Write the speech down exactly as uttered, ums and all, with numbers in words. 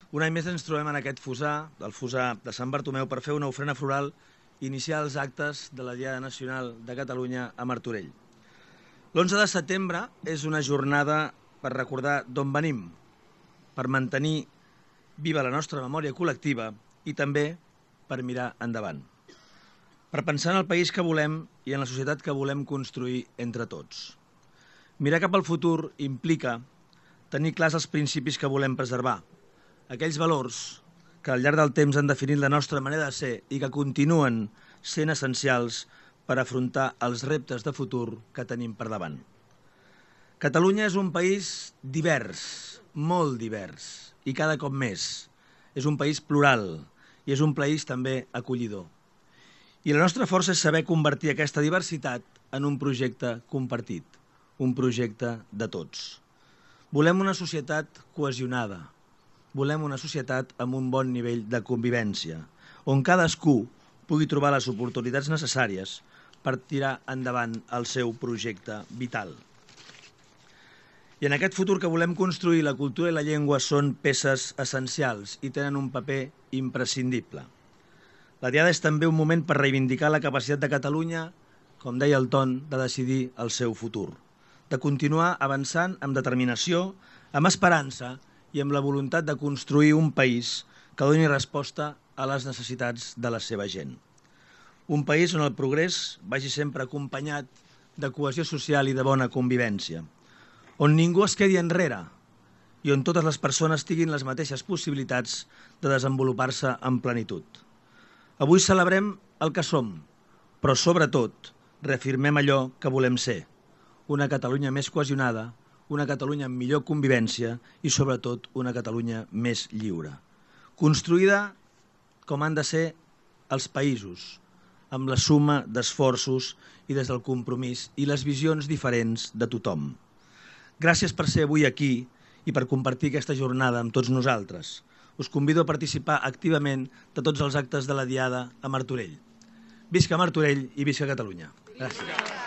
Un any més ens trobem en aquest fossar, el fossar de Sant Bartomeu, per fer una ofrena floral i iniciar els actes de la Diada Nacional de Catalunya a Martorell. L'onze de setembre és una jornada per recordar d'on venim, per mantenir viva la nostra memòria col·lectiva i també per mirar endavant. Per pensar en el país que volem i en la societat que volem construir entre tots. Mirar cap al futur implica tenir clars els principis que volem preservar, aquells valors que al llarg del temps han definit la nostra manera de ser i que continuen sent essencials per afrontar els reptes de futur que tenim per davant. Catalunya és un país divers, molt divers, i cada cop més. És un país plural i és un país també acollidor. I la nostra força és saber convertir aquesta diversitat en un projecte compartit, un projecte de tots. Volem una societat cohesionada, volem una societat amb un bon nivell de convivència, on cadascú pugui trobar les oportunitats necessàries per tirar endavant el seu projecte vital. I en aquest futur que volem construir, la cultura i la llengua són peces essencials i tenen un paper imprescindible. La Diada és també un moment per reivindicar la capacitat de Catalunya, com deia el Ton, de decidir el seu futur, de continuar avançant amb determinació, amb esperança i amb la voluntat de construir un país que doni resposta a les necessitats de la seva gent. Un país on el progrés vagi sempre acompanyat de cohesió social i de bona convivència, on ningú es quedi enrere i on totes les persones tinguin les mateixes possibilitats de desenvolupar-se en plenitud. Avui celebrem el que som, però sobretot reafirmem allò que volem ser, una Catalunya més cohesionada, una Catalunya amb millor convivència i sobretot una Catalunya més lliure. Construïda com han de ser els països, amb la suma d'esforços i des del compromís i les visions diferents de tothom. Gràcies per ser avui aquí i per compartir aquesta jornada amb tots nosaltres. Us convido a participar activament de tots els actes de la Diada a Martorell. Visca Martorell i visca Catalunya. Gràcies.